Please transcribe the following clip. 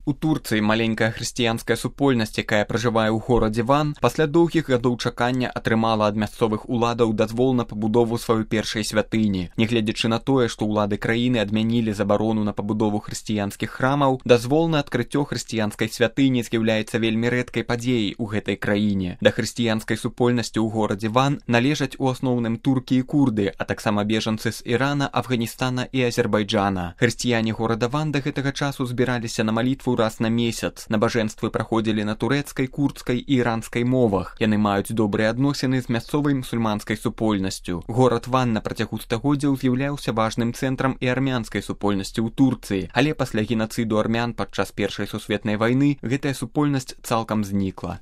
У Турцыі маленькая хрысціянская супольнасць, якая пражывае ў горадзе Ван, пасля доўгіх гадоў чакання атрымала ад мясцовых уладаў дазвол на пабудову сваёй першай святыні. Нягледзячы на тое, што ўлады краіны адмянілі забарону на пабудову хрысціянскіх храмаў, дазвол на адкрыццё хрысціянскай святыні з'яўляецца вельмі рэдкай падзеяй у гэтай краіне. Да хрысціянскай супольнасці ў горадзе Ван належаць у асноўным туркі і курды, а таксама бежанцы з Ірана, Афганістана і Азербайджана. Хрысціяне горада Ван да гэтага часу збіраліся на малітву раз на месяц. Набажэнствы праходзілі на турэцкай, курдскай і іранскай мовах. Яны маюць добрыя адносіны з мясцовай мусульманскай супольнасцю. Горад Ван на працягу стагоддзяў з'яўляўся важным цэнтрам і армянскай супольнасці ў Турцыі, але пасля генацыду армян падчас Першай сусветнай вайны гэтая супольнасць цалкам знікла.